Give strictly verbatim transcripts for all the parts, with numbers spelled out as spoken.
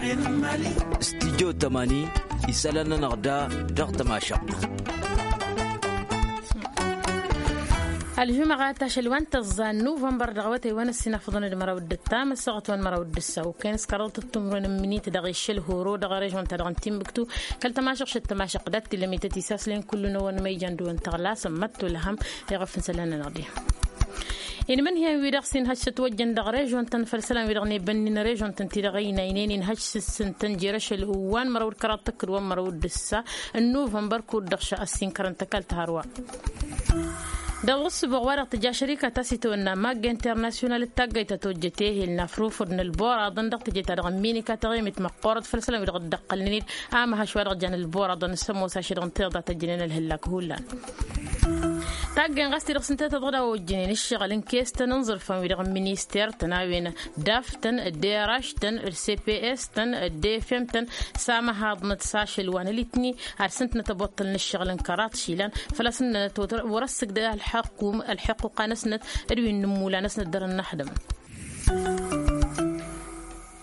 Studyo tămani isălan-nănăɣ da dăɣ-tămašăɣt. Ălžumăɣat ašăl wa n-tăẓẓa n-nuvănbăr dăɣ-awătay wa n-ăssinafăḍăn d-măraw d-ǝttam ăssaɣăt wa n-măraw d-ǝssa okăyăn s-kăraḍăt ăttumrăn n-minit dăɣ-iššăl horo dăɣ-režon-ta-dăɣ n-timbuktu kăl-tămašăɣšăt tămašăɣt dat-t-illa mităt isaslen kullu n-ăwăn ma ijan dăɣ-wăn tăɣlasăm măttu lăhăm. Iɣăf n-isălan-nănăɣ di inmǝnhǝyăn-wi-dăɣ s-inhăj s-ătwăjjăn dăɣ-režon-tăn făll-isălan-wi-dăɣ n-ebănnin režon-tăn ti-dăɣ ăynaynen inhăj s-ǝssǝntăn jer-ašăl wa n-măraw d-kăraḍ tăkkǝd wa n-măraw d-ǝssa n-nuvănbăr kud-dăɣ šăɣ ăssinkărăn tăkalt harwa. Dăɣ-ǝssǝboɣ wa-dăɣ tǝja šărika ta s-itawănna magga internasyonal d-taggayt ta tojjăt ehel n-afrufăd n-ălboraḍăn dăɣ-teje-ta-dăɣ n-minika taɣimit măqqoorăt făll-isălan-wi-dăɣ dd-ăqqălnen-dd amăhăš wa dăɣ-jan ălboraḍăn s-ămoos ašăl dăɣ-n tiḍa tăjjănen ălhǝllak hullan. Taggen ɣas ti-dăɣ s-ǝnta tăḍɣăd a ojjănen ǝššăɣǝl n-kestăn n-iẓǝrfan-wi-dăɣ n-minister-tăn a-wen d-aftăn d-eraš-tăn d-cps-tăn d-efem-tăn s-amăhaḍnăt s-ašăl wa n-alitni ad-sǝntnăt ăboṭṭăl n-ǝššăɣǝl n-kăraḍ išilan făl-a-s ǝnnănăt wăr-ăssǝgdăy ălḥăqquqa-năsnăt d-wi n-inǝmmula-năsnăt dăr-ănnăxdăm.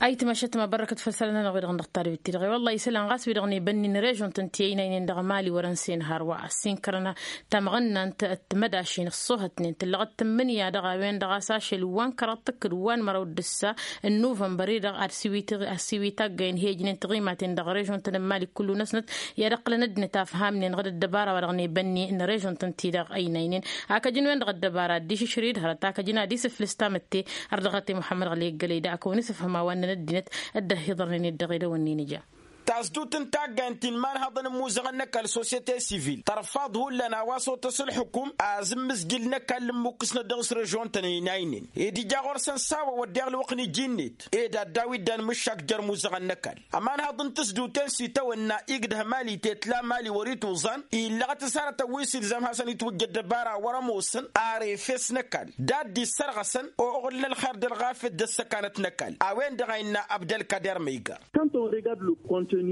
Ayǝtmăšăt ma bărrăkăt făll-isălan-nănăɣ wi-dăɣ n-dăɣ-tadbit-ti-dăɣ i-wălla isălan ɣas wi-dăɣ n-ebănnin režon-tăn ti ăynaynen dăɣ-mali wăr-ănsen hărwa ăssinkărăn tamɣănna n-timădašin ăṣṣuhătnen tǝllăɣăt tǝmmǝnǝya dăɣ-a-wen-dăɣ a-s ašăl wa n-kăraḍ tǝkkǝd wa n-măraw d-ǝssa n-nuvănbăr-i-dăɣ ad-siwi taggăyăn hejnen tiɣimaten dăɣ-režon-tăn n-mali kullu-năsnăt i-ad-ǝqqǝlăn ăddinăt afhamnen ɣǝd ăddăbara wa dăɣ-nebănni n-režon-tăn ti-dăɣ ăynaynen. Akăjăn-wen-dăɣ ăddăbara dd-išǝšrǝy d-hărăt akăjăn ad-isǝflǝs tamǝtte. Ărdăɣăt i-muḥămmăd ɣăli eggălăy da akăwăn-isǝfhǝm a-wa ǝnnăn ăddinăt dd-ăhhiḍărnen dd-dăɣ-edăwănnen ija. Tasdut n-taggaynt ti n-imanhăḍăn n-imuzăɣăn n-ăkall societe civil tărfaḍ hullan a-wa s-otăs ǝlxǝkum azǝmmǝzjǝl n-ăkall n-imukkǝsnăt dăɣ-s režon-tăn ăynaynen ed ija ɣur-săn s-a-wa wădden ălwăqq n-iji-net ed ad-daw-dd-anmǝššak jer-imuzăɣăn n-ăkall. Ămanhăḍ n-tǝsduten s-itawănna igdăh mali tetla mali wăr-ituẓan illăɣăt s-hărătăn wi s-ilzam hasăn-itwǝjj ăddăbara wăr-ămoosăn ar efes n-ăkall d-ad-dd-issărɣăsăn oɣǝl n-ălxer d-ălɣafyăt d-ăssăkanăt n-ăkall. A-wen-dăɣ a innă abdălkader măyga.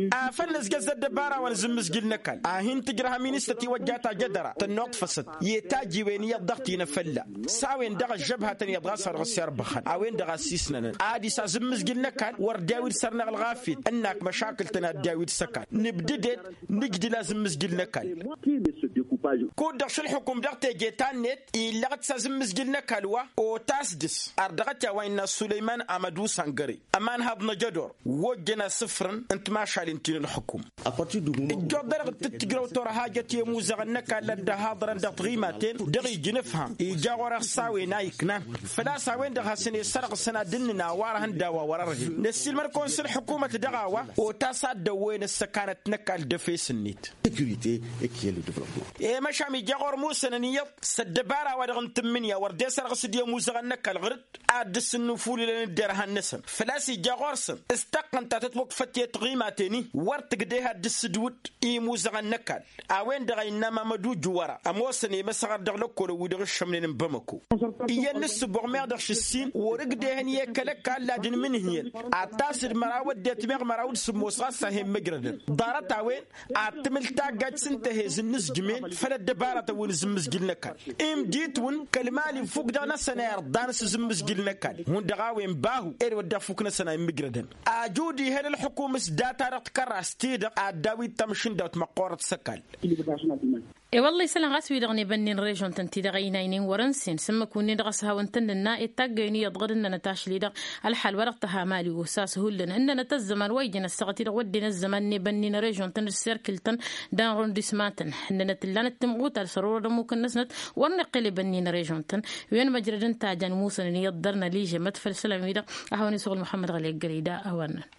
Afăl nǝzjăẓ ăddăbara wa n-azǝmmǝzjǝl n-ăkall a hin-tǝjrăhăm inǝstăt iwăjja tajădăra tănnuḍfăsăt i-tajiwen iyyăḍ dăɣ-tinăfălla s-a-wen-dăɣ ăžžăbhătăn iyyăḍ ɣas a dăɣ-s irbăxăn a-wen-dăɣ a issisnănăn ad-isa azǝmmǝzjǝl n-ăkall wăr dd-ewǝd săr-năɣ ălɣafyăt ǝnnak măšakǝl-tăn ad-dd-ewǝd s-ăkall nǝbdǝd-ed nǝjdǝl azǝmmǝzjǝl n-ăkall. Kud-dăɣ šălxukum dăɣ-teje ta-net illăɣ-t s-azǝmmǝzjǝl n-ăkall wa otas dăɣ-s ardăɣăt i-a-wa innă sulăyman amădu sangăre ămanhăḍ n-ajădor wojjăn asǝfrăn n-timašalen ti n-ǝlxǝkum. Ǝjjoḍ-dăɣ d-tǝttǝjrăw torhajăt i-imuzăɣăn n-ăkall a dd-ăhaḍărăn dăɣ-tiɣimaten dăɣ-iji n-ǝfham ija ɣur-e ăṣṣawen a iknan făl-a-s a-wen-dăɣ hasăn-e-sărɣǝsăn ad-dd-ǝnnǝn a-wa răhăn d-a-wa wăr-ărhen năssiilmăd-kăwăn s-ǝlxǝkumăt dăɣ-a-wa otas a dd-ăwwăyăn ăssăkanăt n-ăkall d-efes-net. Securite ekiyăl d-devlopmănt. I-măšam ija ɣur-musănăn iyyăḍ s-ăddăbara-wa-dăɣ n-tǝmmǝnǝya wăr dd-e-sărɣǝs d-i-imuzăɣăn n-ăkall ɣǝr-dd ad-dd-sǝnnǝfulǝlăn d-derhan-năsăn făl-a-s ija ɣur-săn s-taqqăn ta tătwăkfăt i-tiɣimaten-i wăr tǝgdeh ad-dd-sǝdwǝd i-imuzăɣăn n-ăkall. A-wen-dăɣ a innă mamădu juwăra ămoosăn i-măsăɣăr dăɣ-lăkkolăn wi dăɣ-ǝššămnen n-bamăko iyyăn n-ǝssǝboɣ meɣ dăɣ-išǝssin wăr-ǝgdehăn i-kăl-ăkall ad-ǝnmǝnhǝyăn ad-tasǝd măraw ăddinăt meɣ măraw d-sǝmmos ɣas a hen-măjrădăn ḍarăt-a-wen ad-tǝmǝl taggajt s-ǝnta a he-zǝnnǝzjǝmen făll-ăddăbarătăn wi n-azǝmmǝzjǝl n-ăkall. Imditwǝn kăl-mali ǝffuk dăɣ-năsăn a irḍan s-azǝmmǝzjǝl n-ăkall hundăɣ a-wen bahu ed wădden ăffuk-năsăn a immǝjrădăn. Ajud ihăl ǝlxǝkum s-data-dăɣ tikărrast-ti-dăɣ ad-daw-dd tamǝšǝndawt măqqoorăt s-ăkall. I-wălla isălan ɣas wi-dăɣ n-ebănnen režon-tăn-ti-dăɣ ăynaynen wăr-ǝnsen s-ǝmmǝk-wǝnnin dăɣ-ăshawăn-tăn nǝnna i-taggăyăn iyyăḍ ɣǝd ǝnnănăt ašli-dăɣ ălḥal wa dăɣ-tăha mali osas hullan ǝnnănăt ăzzăman wa ijăn ăssaɣăt-i-dăɣ wădden ăzzăman n-ebănnen režon-tăn d-serkǝl-tăn d-arrondisman-tăn ǝnnănăt ǝllanăt timɣutar s-ăror d-ămmuk-năsnăt wăr nǝqqǝl ebănnen režon-tăn. Wen măjrăd ǝnta a jan musănăn iyyăḍ dăr-năližămăt făll-isălan-wi-dăɣ a hawăn-isuɣǝl muḥămmăd ɣăli ăggălăy da a-wa ǝnnăn.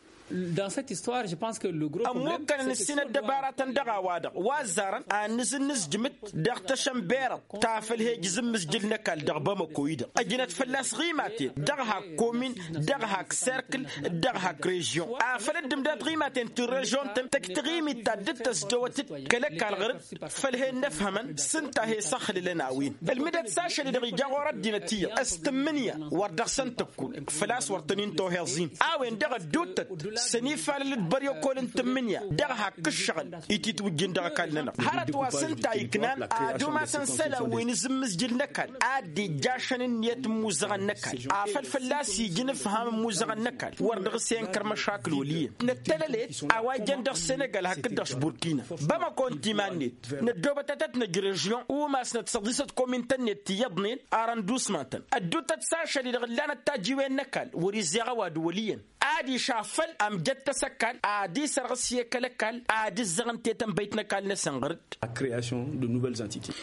Ămmukkănăn ǝssin ăddăbaratăn dăɣ-a-wa-dăɣ wa ăzzarăn ad-nǝzǝnnǝzjǝmǝt dăɣ-tăšănberăḍ ta făl he-ǝjǝzǝmmǝzjǝl n-ăkall dăɣ-bamăko-i-dăɣ ăjnăt fălla-s ɣimaten dăɣ-hak komin dăɣ-hak serkǝl dăɣ-hak režyon. Afăl dd-ǝmdad ɣimaten ti n-režyon-tăn tăj taɣimit ta dd-tăzdăwăt-dd kăl-ăkall ɣăr-dd făl he-innă ăfhămăn s-ǝnta a he-săxlǝlăn a-wen. Ǝlmǝdăt s-ašăl-i-dăɣ ija ɣur-ăddinăt iyyăḍ s-tǝmmǝnǝya wăr dăɣ-săn tăkk făl-a-s wăr tăn-in-toheẓ-in a-wen-dăɣ ădduuttăt s-ănifalăl d-băryăkol n-tǝmmǝnǝya dăɣ-hak ǝššăɣǝl ititwǝjjǝn dăɣ-ăkall-nănăɣ. Hărăt wa s-ǝnta iknan ad-umasăn isălan wi n-azǝmmǝzjǝl n-ăkall a dd-ijjašăn ǝnniyăt n-imuzăɣăn n-ăkall afăl fălla-s ija inǝfham n-imuzăɣăn n-ăkall wăr dăɣ-s enkăr măšakǝl wăl' iyyăn. Năttălălet a-wa ijăn dăɣ-senegal hakd-dăɣ s-burkina bamăko ǝnta iman-net. Năddoobăt ad-tăt-năj režyon umasnăt săḍisăt komintăn-net tiyyăḍnen arăndusman-tăn ădduutăt s-ašăl-i-dăɣ ǝllanăt tajiwen n-ăkall wăr-izzeɣ ăwadǝm wăl' iyyăn. Adiš afăl ămjăttăs ăkall ad-isărɣǝs i-kăl-ăkall ad-ǝzzăɣăn tetănbăyt n-ăkall-năsăn ɣăr-dd. A creation de nouvelles entités.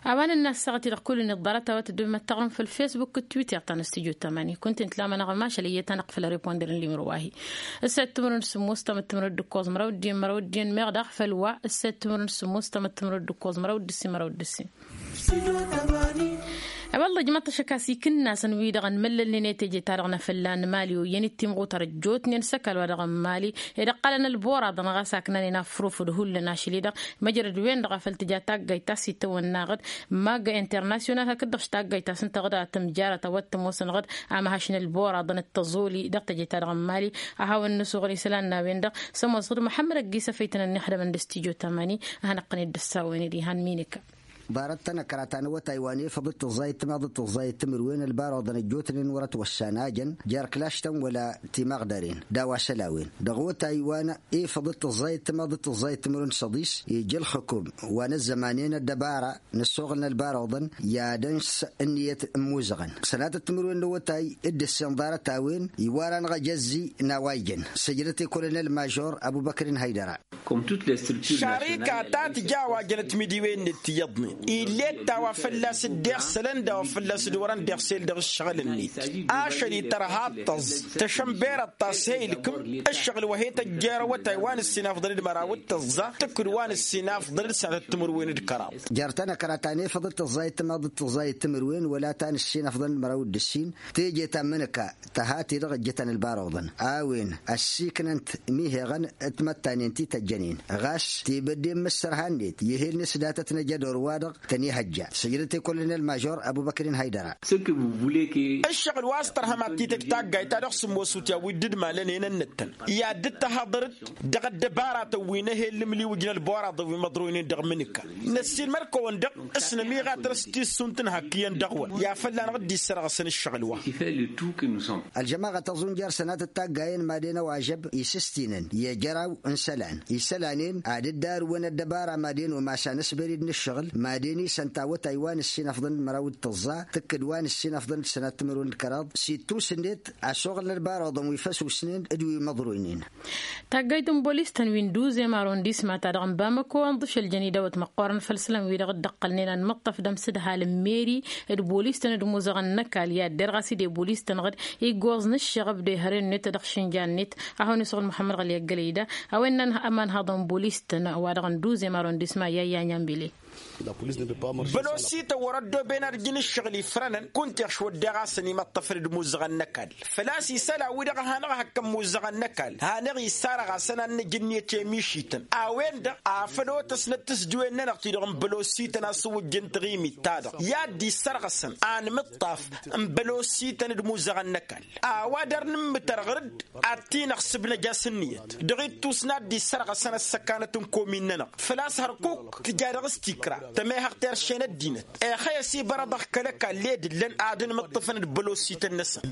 A-wa nǝnna ăssaɣăt-i-dăɣ kull-net ḍarăt a-wa tǝddǝm măttăɣrǝm făll-facebook d-twitter ta n-ăstijot tamani kunta-en tǝlamănăɣ ămašal iyyăt a năqq făll-areponder n-limro wa-hi. Ǝssayăt timǝrwen s-sǝmmos tamăt timǝrwen d-ǝkkoẓ măraw d-iyyăn măraw d-iyyăn meɣ daɣ făll-wa ǝssayăt timǝrwen s-sǝmmos tamăt timǝrwen d-ǝkkoẓ măraw d-ǝssin măraw d-ǝssin. Ăwălla ǝjmăḍ-t ăššăk a-s ikǝnnasăn-wi-dăɣ ănmăllălnen i-teje-ta-dăɣ n-afălla n-mali oyyăn-dd timɣutar ăjjootnen s-ăkall-wa-dăɣ n-mali ed ăqqălăn ălboraḍăn ɣas aknanen afrufǝd hullan ašăl-i-dăɣ. Măjrăd-wen-dăɣ a făl tǝja taggayt ta s-itawănna aɣǝd magga internasyonal hakd-dăɣ s-taggayt ta s-ǝnta aɣǝd a tǝmjarăt a-wa t-ămoosăn aɣǝd amhăš n-ălboraḍăn d-tăẓoli dăɣ-teje-ta-dăɣ n-mali. A hawăn-nǝsuɣǝl isălan n-a-wen-dăɣ s-ămoos aɣǝd muḥămmăd ăgg-isăfăytăn ănnixdămăn d-ăstijot amani. A hanăqqăn-dd ăssawen-dd ihan minǝka. Ḍarăt-tăn ăkra ta n-awătay wa n-efăḍ d-tǝẓẓayăt timaḍ d-tǝẓẓayăt timǝrwen ălbaruḍăn ăjjootnen wăr-ătwăssan a jăn jer-klaštăn wăla timaɣdăren d-a-wa šăl a-wen dăɣ-awătay wa n-efăḍ d-tǝẓẓayăt timaḍ d-tǝẓẓayăt timǝrwen s-ăḍis. Ija ălxǝkum wa n-ăzzămanen ăddăbara n-ăssoɣǝl n-ălbaruḍăn i-ad-ăns ǝnniyăt n-imuzăɣăn sănatăt timǝrwen n-awătay. D-ǝssin ḍarăt-a-wen iwar-anăɣ ejăzzi n-a-wa ijăn sǝjdăt i-kolonel mažor ăbubăkrin hăydăra. Šarika ta tǝja a-wa jănăt imidiwen-net tiyyăḍnen ill'-e d ta wa fălla-s dd-iɣsălăn d-a-wa fălla-s dd-wărăn d-iɣsel dăɣ-ǝššăɣǝl-net. Ašăl-i tărha ăṭṭăẓ tăšănberăt ta s-he-ilkǝm ǝššăɣǝl wa he-tăjjăr awătay wa n-ǝssin afḍăn d-măraw d-tăẓẓa tǝkkǝd wa n-ǝssin afḍăn d-sănatăt timǝrwen d-kăraḍ. Jer-tăn ăkra ta n-efăḍ d-tǝẓẓayăt timaḍ d-tǝẓẓayăt timǝrwen wăla ta n-ǝssin afḍăn d-măraw d-ǝssin. Teje ta n-imǝnǝka tăha-ti-dăɣ ǝjjǝtăn ălbaruḍăn a-wen ăssiiknăn-t miheɣăn timăttanen ti tăjjănen ɣas tibădde n-imǝssărha-net i-ehel n-asdatăt n-ajădor-wa-dăɣ tăn-ihăjja. Sǝjdăt i-kolonel mažor ăbubăkrin hăydăra. Ǝššăɣǝl wa s-tărhăm ad-t-tăj taggayt ta dăɣ-sǝmmosut i-a-wi dd-malăn enăn-năttăn i-ad-dd-tăhaḍăr-dd dăɣ-ăddăbaratăn wi n-ehel n-imliwǝj n-ălboraḍăn wi măḍroynen dăɣ-imǝnǝka. Năssiilmăr-kăwăn-dăɣ s-nămiɣatăr s-tissunt n-hakkǝyăn dăɣ-wăn i-ad-fălla-năɣ dd-issărɣăsăn ǝššăɣǝl wa. Ălžămaɣăt ăẓunjar sănatăt taggayen madăn-ăwažăb isǝstinăn i-ejăraw n-isălan isălan-en ad-dd-arǝwăn ăddăbara madăn-o masa n-asberid n-ǝššăɣǝl madăn-isăn tawătay wa n-ǝssin afḍăn d-măraw d-tăẓẓa tǝkkǝd wa n-ǝssin afḍăn d-sănat timǝrwen d-kăraḍ s-ittus-net ăsoɣăl n-ălbaruḍăn wi făsusnen d-wi măḍroynen. Taggayt n-bolis-tăn wi n-duzem arondisma-ta-dăɣ n-bamăko ănḍǝš ăljăn idawăt măqqoorăn făll-isălan-wi-dăɣ dd-ăqqălnen ad-măṭṭăf d-amsǝdhal n-meri d-bolis-tăn d-imuzăɣăn n-ăkall i-ad-derɣ a-s dd-e bolis-tăn ɣǝd iggoẓ n-ǝššăɣăb d-ehăre-net dăɣ-išǝnja-net. A hawăn-isuɣǝl muḥămmăd ɣăli ăggălăy da a-wen n-anhăḍăn bolis-tăn wa dăɣ-n duzem arondisma i-ayya n-ambile. Bălosităn wăr-ăddooben ad-ǝjǝn ǝššăɣǝl ifrănăn kunta iɣš wădden ɣas ănimăṭṭăfăn d-imuzăɣăn n-ăkall. Făl-a-s isălan-wi-dăɣ a hanăɣ-hakkăn imuzăɣăn n-ăkall hanăɣ-isarăɣ-asăn ad-nǝj ǝnniyăt i-mišităn a-wen-dăɣ afăl otăsnăt tǝsdǝwen-nănăɣ-ti-dăɣ n-bălosităn a-s ǝwwǝjjăn taɣimit-ta-dăɣ i-ad-dd-issărɣăsăn anmǝṭṭaf n-bălosităn d-imuzăɣăn n-ăkall. A-wa dăr-nǝmmǝtăr ɣǝr-dd ad-t-in-ăɣsǝb năj'-as ǝnniyăt dăɣ-ittus n-ad-dd-issărɣăsăn ăssăkanăt n-komin-nănăɣ. Făl-a-s hărkuk tǝja dăɣ-s tikra tămehăɣ terše n-ăddinăt. Ixăy ăsibărăḍăɣ kăl-ăkall ed ǝllăn ad-ǝnmǝṭṭǝfăn d-bălosităn-năsăn.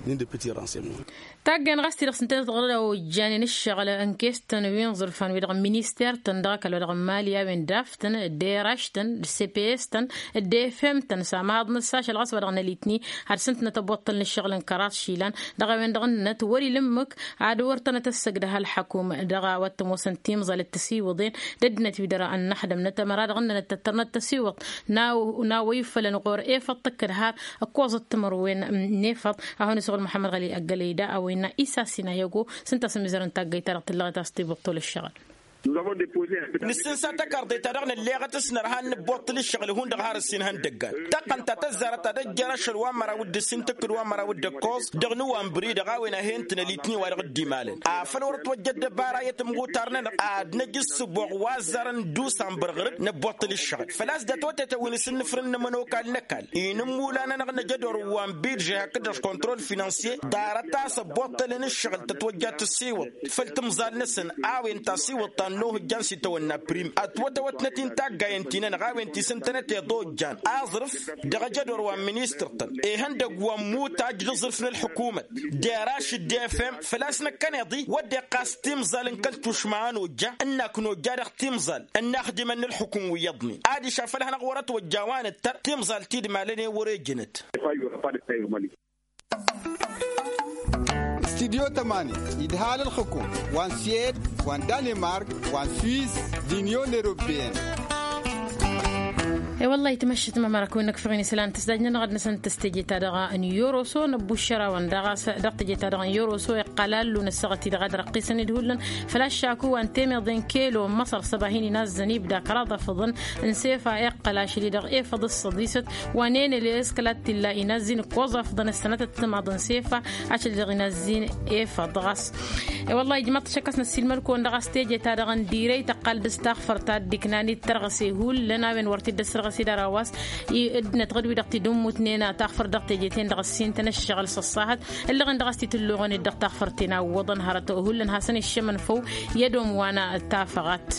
Taggen ɣas ti-dăɣ s-ǝntănăt ɣǝr-dd a ojjanen ǝššăɣǝl n-kes-tăn wi n-iẓǝrfan-wi-dăɣ n-minister-tăn dăɣ-ăkall wa dăɣ-n mali a-wen d-aftăn d-eraš-tăn d-cps-tăn d-efem-tăn s-amaḍnăt s-ašăl ɣas wa dăɣ-nălitni ad-sǝntnăt ăboṭṭăl n-ǝššăɣǝl n-kăraḍ išilan. Dăɣ-a-wen-dăɣ ǝnnăt wăr-ila ǝmmǝk ad-wăr tănăt-ăssăgdăh ălḥăkum dăɣ-a-wa t-ămoosăn timẓal d-tisiwǝḍen d-ăddinăt-wi-dăɣ ănnăxdămnăt ămăra dăɣ-ǝnnănăt tăttărnăt tasiwăḍt n-a-wa ifălăn ɣur-efăḍ tǝkkăd har ǝkkoẓăt timărwen n-efăḍ. A hawăn-isăɣul muḥămmăd ɣăli ăggălăy da a-wa innă isassin a i-ăggo s-ǝnta a-s ămizărăn taggăyt-ta-dăɣ tǝllăɣet a-s tibǝṭṭul ǝššăɣǝl. Nǝssǝnsa takarḍe-ta-dăɣ nălleɣăt s-nărha n-inǝbbuṭṭǝl ǝššăɣǝl hundăɣ har ǝssin ihăndăggan. Tăqqăn ta tăzzarăt ad-ăjjăr ašăl wa n-măraw d-ǝssin tǝkkǝd wa n-măraw d-ǝkkoẓ dăɣ-nǝwambri dăɣ-a-wen a he-ǝntǝnăl itni wa dăɣ-dd-imalăn. Afăl wăr ătwăjja ăddăbara i-timɣutar-nănăɣ ad-năj ǝssǝboɣ wa ăzzarăn d-usambăr ɣǝr-dd nǝbbuṭṭǝl ǝššăɣǝl făl-a-s dd-ătwătetăn wi n-asǝnnǝfrǝn n-ămănokal n-ăkall. Inǝmmula-nănăɣ năj ădor wa n-bidže hakd-dăɣ kontrol finansye ḍarăt a-s ăbbuṭṭălăn ǝššăɣǝl tătwăjja tǝsiwǝḍt făll-timẓal-năsăn. A-wen tasiwǝḍt ta n-ohǝjjan s-itawănna prim ătwătăwătnăt-in taggayen-ti-nănăɣ a-wen ti s-ǝntănăt iḍojjan aẓrǝf dăɣ-ejădor wa n-ministăr-tăn ihăndăgg wa n-imutaj d-aẓrǝf n-ălḥukumăt. Deraš d-efem făl-a-s năkkăneḍ-i wădden ɣas timẓal n-kăl-tušma a nojja ǝnnak nojja dăɣ-timẓal ǝnnaxdimăn n-ălḥukum wi iyyăḍnen adiš afăl hanăɣ-wăr-ătwăjja wa nǝttăr timẓal ti d-malăn i-wăr-ejănăt. Studyo tămani idhal ălxǝkum wa n-siyed wa n-danimark wa n-swiss d-inyon europeyăn. E-wălla-hi tǝmăššit mămărak wi n-ăkfăɣ-in isălan tǝsdaj-nănăɣ ad-năsăn tăstejeta dăɣ-a n-yoroso năbbuššărawăn dăɣ-tejeta dăɣ-n yoroso iqqăl allu n-ăssaɣăt-i-dăɣ ad-răqqisăn-dd hullan. Făl-aššaku wa n-temeḍe n-kelo n-măṣăr săba hin-inazzăn ibda kăraḍ afǝḍăn n-sefa iqqăl ašăl-i-dăɣ efăḍ s-săḍisăt wa n-enăl i-s kăla t-illa inazz-in ǝkkoẓ afḍăn ăssănătăt timaḍ n-sefa. Ašăl-i-dăɣ inazz-in efăḍ ɣas. E-wăllah ijmăḍ-t šăkk a-s năssiilmăl-kăwăn dăɣ-a s-teje ta dăɣ-n direy tăqqal dăɣ-s taɣfărt ta dd-iknan i-dd-tărɣăse hullan a-wen wăr t-dd-ăssărɣăse d-ara wa s-i dd-nătɣăd wi-dăɣ t-dd-ǝmmutnen a taɣfărt dăɣ-teje-ten-dăɣ ăssin-tăn ăššăɣǝl s-ăṣṣahăt. Ǝllăɣen dăɣ-a-s t-tǝlluɣăn-dd dăɣ-taɣfărt-ten a ǝwwăḍăn hărăt hullan hasăn-iššămăn făw i-ad-omwa n-tafăɣat.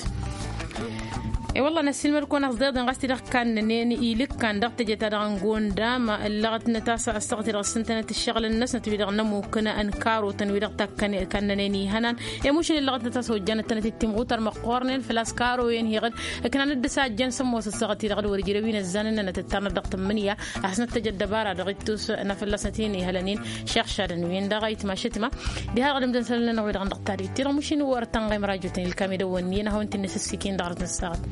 E-wălla năssiilmăd-kăwăn ăẓḍeḍen ɣas ti-dăɣ kannănen ilǝkkan dăɣ-teje-ta-dăɣ n-gonda ma ǝllăɣătnăt a-s ăssaɣăt-i-dăɣ ǝssǝntănăt ǝššăɣǝlăn-năsnăt wi-dăɣ n-ămmukăn n-karotăn wi-dăɣ takkănen kannănen ihănan. I-mušǝn ǝllăɣătnăt a-s ojjanăt-tănăt d-timɣutar măqqoornen făl-a-s karoyen heɣ-dd ǝknan-dd s-a ăjjăn sămmos ăssaɣăt-i-dăɣ d-wăr ǝjrăw-in ăzzanăn-nănăt ǝttarnăt dăɣ-tǝmmǝnǝya. A hasnăt-tăj ăddăbara dăɣ-ittus n-afălla-snăt hin-ihălăn-in. Šeɣ šadăn-wen-dăɣ a itmašăt ma diha dăɣ-dd-ǝmdăn isălan-nănăɣ wi-dăɣ n-dăɣ-tadit-ti-dăɣ mušin wăr tănɣem rajotăn ilkam edăwwăn iyyăn ad-hawăn-t-in-năsǝssikin dăɣ-arăt n-ăssaɣăt.